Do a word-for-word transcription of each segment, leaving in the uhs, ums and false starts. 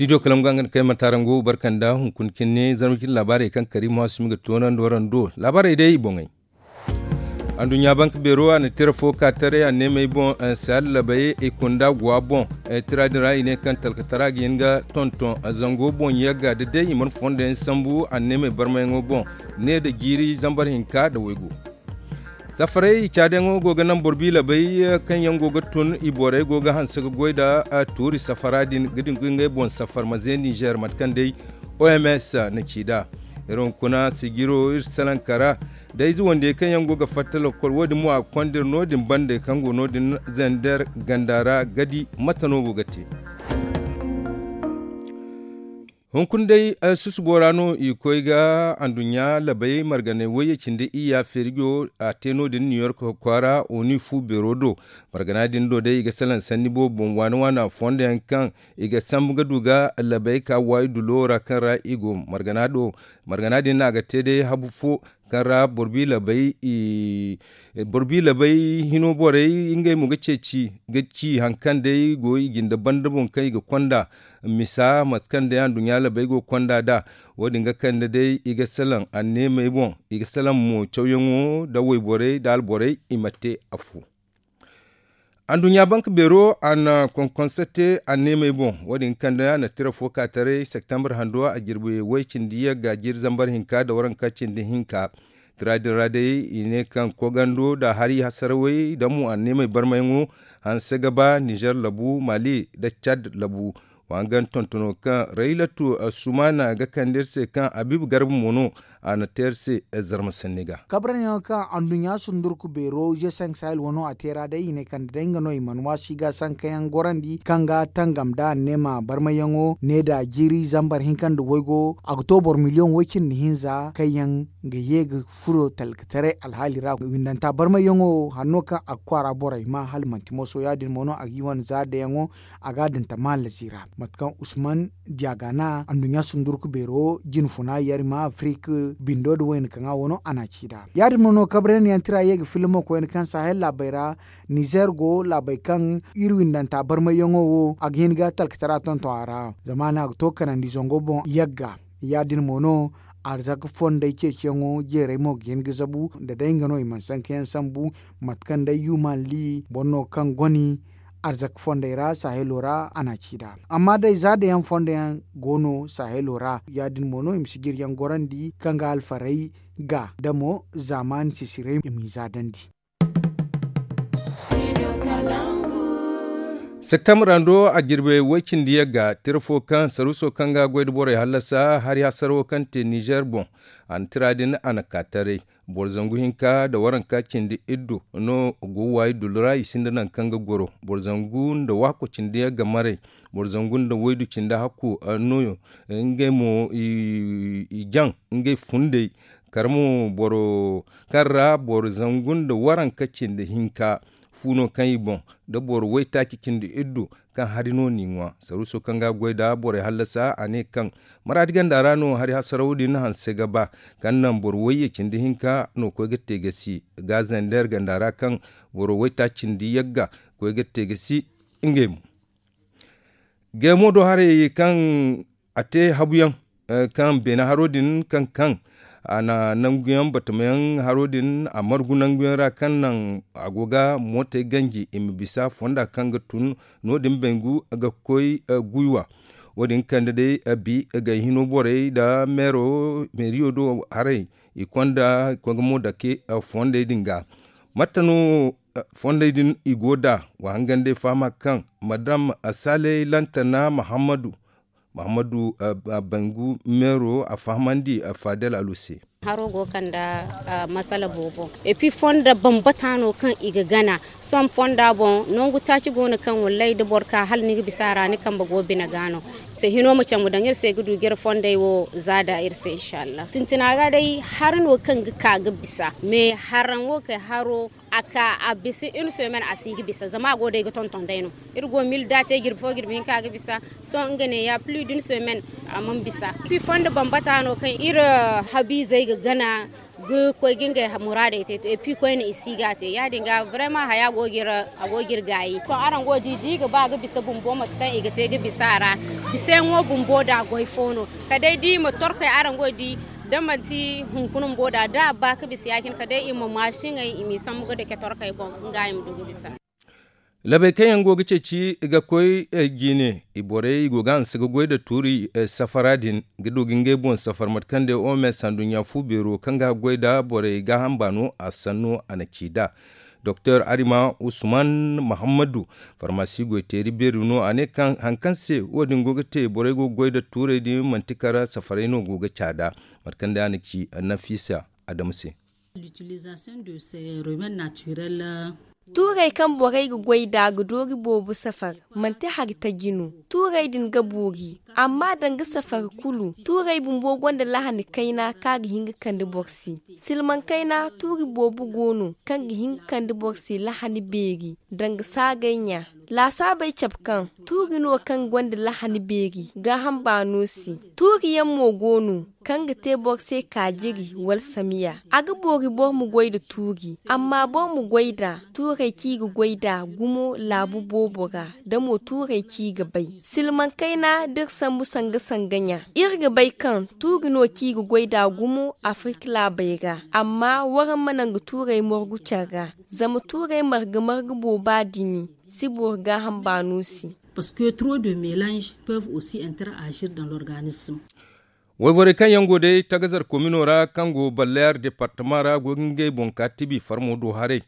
Studio kalangu ga nga na kay matarango barkanda hunkuna cine zarma cine laabaarey kaŋ kariima waasumi ga toonandi waraŋ do laabaarey day i boŋey. Anduɲɲa bank beero a na tira fo ka taray anneemey boŋ, sahel labey i kunda guwa boŋ. Tira din ra i ne kaŋ talkatara ga hin ga tonton zango boŋ yagga da day i mana fondo yaŋ sambu anneemey barmayaŋo boŋ. Ne nda jiiri zambar hinka nda waygu. Safarey i caadiyaŋo go ga naŋ boro biilabey kaŋ yaŋ go ga tun i borey go ga hanse ga goy nda tuuri safara din ga dingu ngey boŋ safar ma ze ninzeer mate kaŋ day oms na ci nd'a. Iri hunkuna sijiro iri salaŋ kara da ize wandiyey kaŋ yaŋ go ga fatta lokol wo- din mo a ga konda iri no- din bande kaŋ go no- din zander ganda ra ga di mate no go ga te. Hunkuna day susubo ra no i koy ga anduɲɲa labey marganey wayye cindi iyya feerijo a te no- din new york kwaara oni fu beero do. Margana din do day i ga salaŋ sanni boobo boŋ waana waana fondo yaŋ kaŋ i ga sambu ga du ga labey ka waayi dulo ra kaŋ ra i go margana do. Margana din no a ga te day habu fo kaŋ ra boro biilabey hino borey ngey mo ga ceeci ga ci hari kaŋ day go i jinde banda boŋ kaŋ i ga konda misa mate kaŋ day anduɲɲa labey go ga konda nd'a. Wo- din ga kande day i ga salaŋ anneemey boŋ i ga salaŋ mo cawyaŋo nda wayborey nda alborey i ma te afo. Anduɲɲa bank beero a na konkonse te anneemey boŋ wo- din ga kande a na tira fo ka taray septembre hando a jirbi way cindi yagga jiiri zambar hinka nda waranka cindi hinka. Tira din ra day i ne kaŋ kogando nda hari hasarawey nda mo anneemey barmayaŋo hanse ga ba nizer labu mali nda cad labu. Wa hangan tontono kaŋ raylatu sumana ga kande iri se kaŋ habiibu garba mo no a na te iri se zarma sanni ga. Kabraniyaŋo kaŋ anduɲɲa sundurku beero je cinq sahel wano a te ra day i ne kande day nga no i mana waasi ga sankayaŋ gorandi kaŋ ga tangam nda anneema barmayaŋo ne nda jiiri zambar hinka nda waygo a ga to boro miliyoŋ way cindi hinza kaŋ yaŋ ga ye ga furo talkataray alhaali ra windanta barmayaŋo hanno kaŋ a ga kwaara borey ma hala manti moso ya- din mo no a ga i wane za dayaŋo a ga a din tamallazi ra mate kaŋ usman diyagana anduɲɲa sundurku beero jinfuna yarima afrik bindo nda wayna kaŋ a wano a na a ci nd'a ya- din mo no kabraniyaŋ tira ye ga filmo koyne kaŋ sahel laabey ra nizer go laabey kaŋ iri windanta barmayyaŋo wo a ga hin ga talkatara tonton a ra zama no a ga to ga kanandi zango boŋ yagga ya- din mo no arzaka fondey ceeciyaŋo jeerey mo ga hin ga zabu nda day nga no i mana sankayaŋ sambu mate kaŋ day human li boro no kaŋ goni arzaka fondey ra sahelo ra a na a ci nd'a amma day za dayaŋ fondo yaŋ go no sahelo ra ya- din mo no i ma si jiryaŋ gorandi kaŋ ga alfarey ga da mo zaamaani sisirey i m'i za dandi. Septembre ra do a jirbe way cindi yagga tira fo kaŋ saruuso kaŋ ga goy nda borey hallasa hari hasaro kaŋ te nizer boŋ. A na tira din a na ka taray boro zangu hinka nda waranka cindi iddu no go waayi dulu ra i sinda nangu kaŋ ga goro boro zangu nda waako cindi yagga maray boro zangu nda waydu cindi hakku no ngey mo i jaŋ ngey fundey kala mo boro kaŋ ra boro zangu nda waranka cindi hinka fu no kaŋ i boŋ da boro waytaaci cindi iddu kaŋ hari no n'i ŋwa saruuso kaŋ ga goy nda borey hallasa a ne kaŋ maraadi ganda ra no hari hasaraw din hanse ga ba kaŋ naŋ boro wayye cindi hinka no koy ga te gasi ga zander ganda ra kaŋ boro waytaaci cindi yagga koy ga te gasi ngey mo. Geemo do haray kaŋ a te habuyaŋ kaŋ beene haro din kaŋ kaŋ a na nanguyaŋ batamayaŋ haro din a margu nanguyaŋ ra kaŋ naŋ a go ga mootey ganji i ma bisa fonda kaŋ ga tun no- din bangu ga koy guywa. Wo- din kande day bi gay hino borey nda meero meeriyo do haray i konda i koy ga mo dake fondey din ga. Mate no fondey din i go nd'a wa hangan day fahama kaŋ madam saley lantana mahammadu mahammadu bangu meero a fahamandi fadel alu se. Haro go kanda masala boobo epi fonda bambata no kaŋ i ga gana sohõ fonda boŋ nangu taaci go no kaŋ wallaahi da boro ka hala ni ga bisa a ra ni kambe go bine ga no. Se hino ma caŋ ma daŋ iri se ga du ga iri fondey wo za da iri se inshallah sintina ga day hari no kaŋ ga ka ga bisa me haraŋ wo kay haro a ka a bisa iri sohõ men a si ga bisa zama a go day ga tonton day no. Iri go mil da te jirbi fo jirbi hinka ga bisa sohõ nga ne ya pli da iri sohõ men a mana bisa. Iri fonda bambata no kaŋ iri habiizey ga gana. Koy ga ngey muraadey te to epi koyne i si ga te ya- din ga brema haya a go ga iri gaayi to araŋ go ga di da i ga ba ga bisa bumbo mate kaŋ i ga te ga bisa a ra. Bisayaŋo bumbo da goy fo no. Kala day da i ma torkey araŋ go ga di da manti hunkuna bumbo da da a ba ga bisa ya- cine kala day i ma maasiŋey i m'i sambu ga dake torkey boŋ. Nga i ma du ga bisa. Labey kaŋ yaŋ go ga ceeci ga koy jine i borey i go ga hanse ga goy nda tuuri safara din ga du ga ngey boŋ safar mate kaŋ day oms handuɲɲa fu beero kaŋ ga goy nda borey gaaham baano a sanno a na ci nd'a. Doktor arima usman muhammadu farmasi goy teeri beeri no a ne kaŋ hari kaŋ se wo- din go ga te borey go ga goy nda tuurey din manti kala safarey no go ga caada. Mate kaŋ day a na ci nafisa adamu se. Tuurey kaŋ borey ga goy nd'a ga doori boobo safar, manti hari taji no. Tuurey din ga boori, amma danga safar kulu tuurey bumbo gonda lahani kayna kaŋ a ga hin ga kande boro se. Silmaŋ kayna tuuri boobo go no kaŋ ga hin ga kande boro se lahani beeri danga saagay ɲa. Laasaabey cabe kaŋ tuuri no kaŋ gonda lahani beeri gaaham baano se. Tuuri yaŋ mo go no kaŋ ga te boro se kaajiri wala samiya. A ga boori boro ma goy nda tuuri amma boro ma goy nd'a tuurey kaŋ i ga goy nd'a gumo laabu boobo ra, da mo tuurey kaŋ i ga bay silmaŋ kayna da iri sambu sanga sanga ɲa. Iri ga bay kaŋ tuuri no kaŋ i ga goy nd'a gumo afirka laabey ra. Amma waraŋ ma naŋ ga tuurey margu care ra, zama tuurey marga marga booba dini si boori gaaham baano se. Parce que trop de mélange peuvent aussi interagir dans l'organisme. Wayborey kaŋ yaŋ go day tagazar komino ra kaŋ go ballayar departama ra go ga ngey boŋ ka tibi farmo do haray.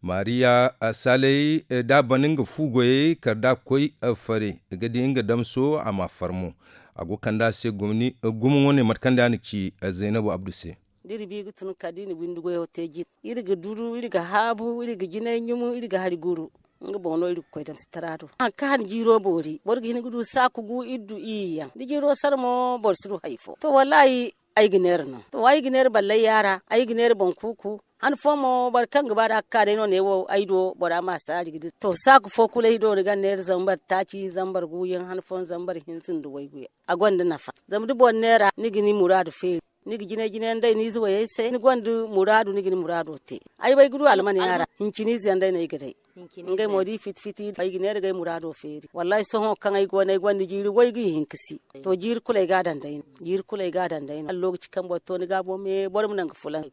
Maariya saley da a ban nga fu goyey kala da a koy fare ga di nga damso a ma farmo. A go kande a se gumo wane mate kaŋ day a na ci zaynabu abdu se. Da iri bi ga tun kala da i na windi goyo te jine iri ga duru iri ga haabu iri ga jinay ɲumu iri ga hari guru. Nga boŋ no iri ga koy damsitara do hari kaŋ han jiiro boori boro ga hin ga du saaku gu iri du iri yaŋ da jiiro sara mo boro si du hari fo to wallahi. Ay ga neera no to ay ga neera ballay yaara ay ga neera boŋ kuuku. Han fo mo boro kaŋ ga ba da a ga ka day no ne wo ay do bora ma saaji ga di to saaku fo kulu ay do ni ga neera zambar taaci zambar guuyaŋ han fooyaŋ zambar hinza nda waygu yaŋ. A gonda nafa zama da boro neera ni ga ni muraadu feeri. Ni ga jinay jinay yaŋ day ni ize wayey se ni gonda muraadu ni ga ni muraado te. Ay bay ga du almane yaŋ ra hincini ize yaŋ day no ay ga day. Ngey mo da i fiti fiti ay ga neera ga ay muraado feeri wallahi sohõ kaŋ ay go no ay gonda jiiri waygu ihinka si. To jiiri kulu ay ga a daŋ day no jiiri kulu ay ga a daŋ day no hala lookaci kaŋ boro to ni gaabo me boro ma naŋ ga fulaŋ.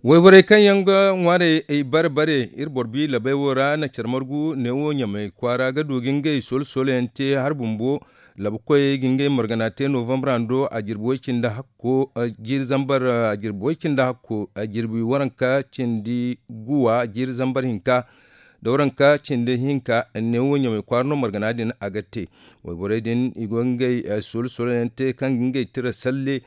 Wayborey kaŋ yaŋ ga ŋwaarey ay bare bare iri boro bi labay wo ra na care margu neewo ɲamay kwaara ga du ga ngey solo solo yaŋ te hari bumbo. Labu koyey ga ngey margana te novambre hando a jirbi way cindi hakko jiiri zambar a jirbi way cindi hakko a jirbi waranka cindi guwa jiiri zambar hinka da waranka cindi hinka neewo ɲamay kwaara no margana din a ga te. Wayborey din i go ga ngey solo solo yaŋ te kaŋ ga ngey tira salle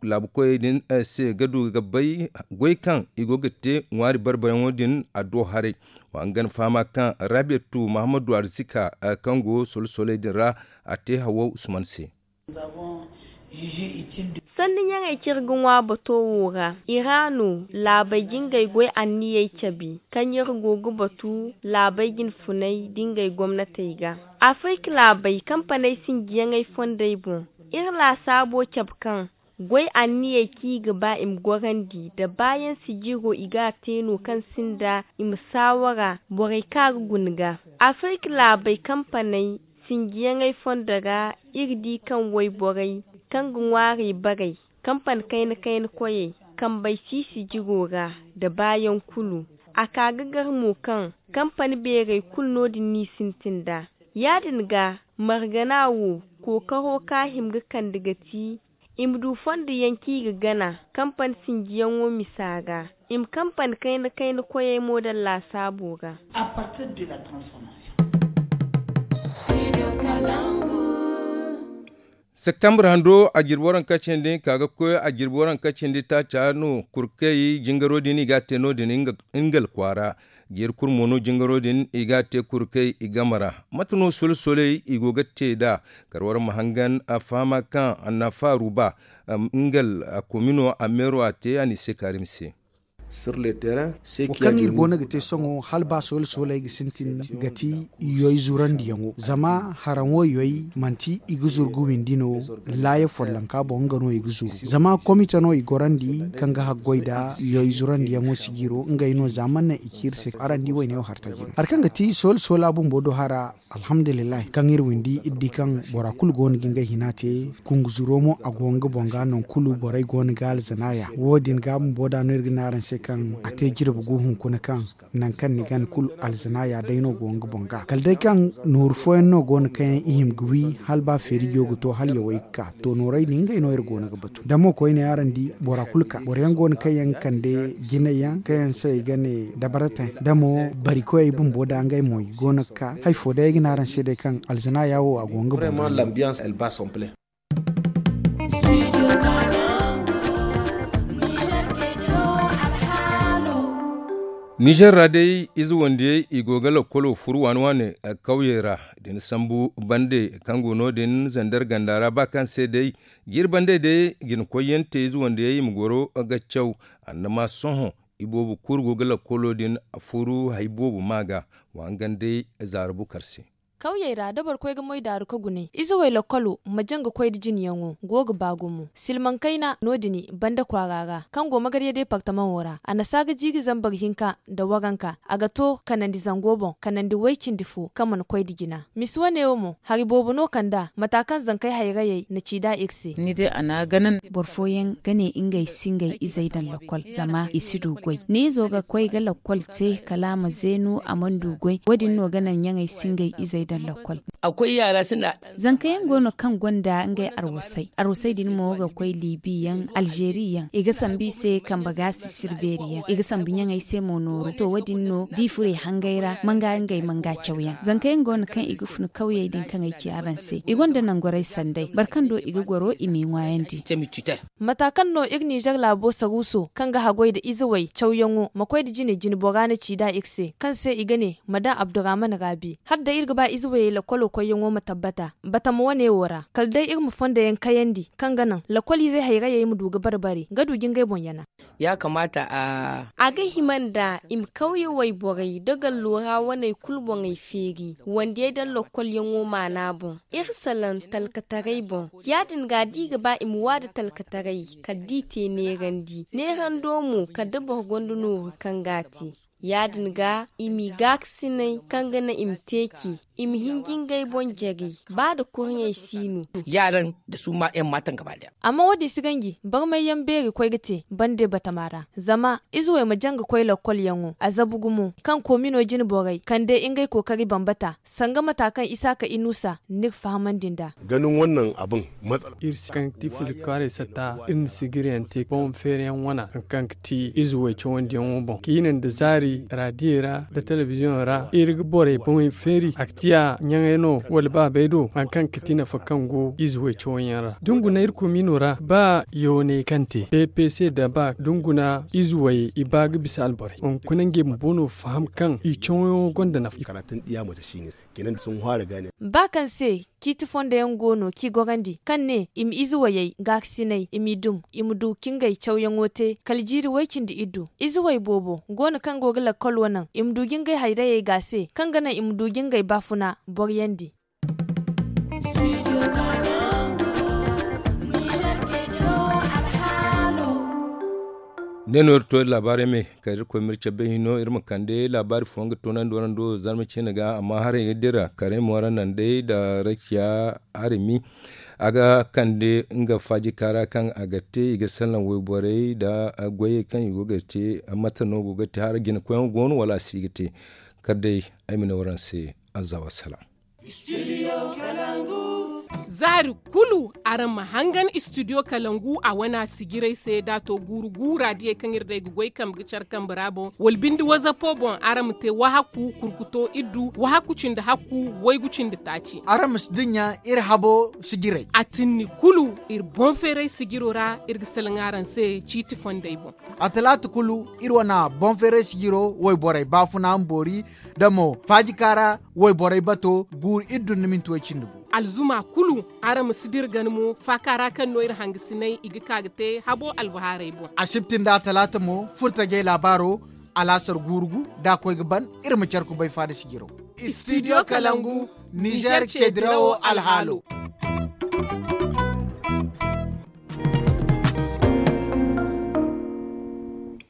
laabu koyey din se ga du ga bay goy kaŋ i go ga te ŋwaari barbayaŋo din a do haray. Wa nga na fahama kaŋ raabiyatu mahammadu arzika kaŋ go solo soley din ra a te hawa usman se. Sanni ɲaŋey kaŋ iri ga ŋwa bato wo ra i ra no laabey ga ngey goy anniyey cabe kaŋ iri go ga batu laabey jinfuney da ngey gomnatey ga. Afirka laabey kampaney sinjiyaŋey fondey boŋ iri laasaabo cabe kaŋ goy anniyey kaŋ i ga ba i ma gorandi nda baayaŋ sijiro i ga a te no kaŋ sinda i ma saawara borey kaŋ a ga guna ga. Afirka laabey kampaney sinjiyaŋey fondo ra iri di kaŋ wayborey kaŋ ga ŋwaarey barey kampani kayna kayna koyey kambey si sijiro ra nda baayaŋ kulu. A ka ga gar mo kaŋ kampani beerey kulu no- din n'i sintin nd'a. Ya- din ga margana wo kookaro kaŋ a hima ga kande ga ti i ma du fondo yaŋ kaŋ i ga gana kampani sinjiyaŋo misa ra i ma kampani kayna kayna koyey mo daŋ laasaabo ra. Septembre hando a jirbi waranka cindi ka ga koy a jirbi waranka cindi taaca no kurkey jingaro din i ga a te no- din. Nga kwaara jiiri kulu mo no jingaro din i ga a te kurkey i game ra. Mate no solo soley i go ga te nd'a kar wara ma hangan a fahama kaŋ annafa ruba nga komino a meero a te a n'i se kaari ma se. Wo kaŋ iri go no ga te sohõ hala ba soola sooley ga sintin ga ti yoy zurandiyaŋo zama haraŋo yoy manti i ga zuru ga windi no. Laaya follonka boŋ nga no i ga zuru zama komite no i gorandi kaŋ ga haggoy nda yoy zurandiyaŋo sijiro ngey no za mana naŋ i ci iri se araŋ di wayne wo hartaji no hari kaŋ ga ti soola soola bumbo do hara. Alhamdulillahi kaŋ iri windi iri di kaŋ bora kulu go no ga ngey hina te. Kungu zuro mo a go nga boŋ ga nangu kulu borey go no ga alzanaya wo- din ga bumbo da no iri ga ne araŋ se kaŋ a te jirbi gu hunkuna kaŋ nangu kaŋ ni gana kulu alzanaya day no go nga boŋ ga kala day kaŋ nooru fooyaŋ no go no kaŋ yaŋ i hima ga wi hala ba feeri go ga to hala yawey ga ka to noorey din ngey no iri go no ga batu da mo koyne araŋ di bora kulu ka boro yaŋ go no kaŋ yaŋ ga kande jinay yaŋ kaŋ yaŋ se i ga ne dabarate da mo bari koyey bumbo da ngey mo i go no ga ka hari fo day ay ga ne araŋ se day kaŋ alzanaya wo a go nga boŋ ga. Nizer ra day ize wandiyey i go ga lakkolo furu waani waani kawyey ra da ni sambu bande kaŋ go no- din zander ganda ra ba kaŋ se day jiri bande day jina koyyaŋ te ize wandiyey i ma goro ga caw. Annama sohõ i boobo kulu go ga lakkolo din furu hari boobo ma ga wa hangan day zaara bukar se. Kawyey ra da boro koy ga moy daaru ga gunay ize way lakkolo ma jaŋ ga koy nda jinayaŋo go ga ba gumo silmaŋ kayna no- din banda kwaara ra kaŋ go magarya deepartamaŋo ra a na saa ga jiiri zambar hinka nda waranka a ga to kanandi zango boŋ kanandi way cindi fo kaŋ mana koy nda jina. Misi wane wo mo hari boobo no kand'a mata kaŋ zankey hayrayey na ci nd'a iri se. Boro fooyaŋ ga ne ngey si ngey izey daŋ lakkol zama i si du goy ni izo ga koy ga lakkol te kala a ma zeenu a mana du goy wo- din no ga naŋ ɲaŋey si ngey izey daŋ lakkol. Zanka yaŋ go no kaŋ gonda ngey arwasay arwasay din mo ga koy libi yaŋ alzeeri yaŋ i ga sambu i se kambe gaasi sirbeeri yaŋ i ga sambu ɲaŋey se mo nooru to wo- din no da i furo i hangey ra manga ngey manga cawyaŋ zanka yaŋ go no kaŋ i ga fun kawyey din kaŋ ay ci araŋ se i gonda nangorey sanday boro kaŋ do i ga goro i m'i ŋwaayandi. Mata kaŋ no iri nizer laabo saruuso kaŋ ga haggoy nda izewey cawyaŋo ma koy nda jine jinebora na ci nd'a iri se kaŋ se i ga ne madam abdurrahman raabi hala day iri ga ba izewey lakkolo koyyaŋo ma tabbata batama wane wo ra kala day iri ma fondo yaŋ kayandi kaŋ ga naŋ lakkol izey hayrayey ma du ga bare bare ga du ga ngey boŋ yana. A ga hima nda i ma kawye wayborey nda gallo ra waney kulu boŋey feeri wandiyey daŋ lokkolyaŋo maana boŋ iri salaŋ talkataray boŋ. Ya-din ga da i ga ba i ma wa nda talkataray kala da i te neerandi neerando mo kala da boro gonda nooru kaŋ ga a te. Ya-din ga i m'i gaakasinay kaŋ ga naŋ i ma te ce i ma hinji ngey boŋ jare ba nda kurɲey si no. Amma wo- din si ganji barmayyaŋ beeri koy ga te bande batama ra zama izewey ma jaŋ ga koy lokkolyaŋo a zabu gumo kaŋ koomino jine borey kande ngey kookari bambata sanga mata kaŋ isaaka inuusa n'iri fahamandi nd'a. Iri si kaŋ ga ti fili kwaaray satta iri na sijiryaŋ te boŋ feeriyaŋ wana hari kaŋ ga ti ize way cawandiyaŋo boŋ ciine nda zaari raadiyey ra nda telebiziyoŋ ra iri ga borey boŋey feeri a ga ti a ɲaŋey no wala baabey do hari kaŋ ga ti nafa kaŋ go ize way cawanyaŋ ra da ni guna iri komiino ra ba yooney kaŋ te ppc nda ba da ni guna ize way i ba ga bisa alborey hunkuna ngey bumbo no faham kaŋ i cawanyaŋo gonda nafa. Ba kaŋ se ciiti fondo yaŋ go no kaŋ i gorandi kaŋ ne i ma ize wayey gaakasinay i m'i dum i ma du ka ngey cawyaŋo te kala jiiri way-cindi iddu ize way boobo go no kaŋ go ga lakkolo naŋ i ma du ga ngey hayrayey gaase kaŋ ga naŋ i ma du ga ngey baafuna boriyandi. Ne no iri to iri laabaarey me kala iri koy ma iri cabe hino iri ma kande laabaari fooyaŋ ga toonandi waraŋ do zarma ciine ga amma haray ga dira karay mo ra naŋ day nda rakiya arimi a ga kande nga faajika ra kaŋ a ga te i ga salaŋ wayborey nda goyey kaŋ i go ga te mate no go ga te hara jinakoyyaŋo go no wala a si ga te. Kala day ay ma ne waraŋ se azza wassalam. Zaari kulu araŋ ma hangan istidiyo kalangu a wana sijirey se da a to guuru guura diyey kaŋ iri day ga goy kambe ga care kambe ra boŋ wala binde wazapo boŋ araŋ ma te wahakku kurkuto iddu wahakku cindi hakku waygu cindi taaci. Araŋ ma si dinya iri habo sijirey a tinni kulu iri boŋ feeray sijiro ra iri ga salaŋ araŋ se ciiti fondey boŋ. A talaata kulu iri wana boŋ feeray sijiro wayborey baafuna ma boori da mo faajika ra wayborey bato guuru iri dun na minti way cindi gu. alzuma kulu. Araŋ ma si dira gana mo faaka ra kaŋ no iri hangasinay i ga ka ga te habo albahaarey boŋ. Asibti nda talaata mo furtajey laabaaro alaasar guurugu da a koy ga ban. Iri ma care kubay faada sijiro. Istidiyo kalangu, nizeer ce dirawo alhaalo.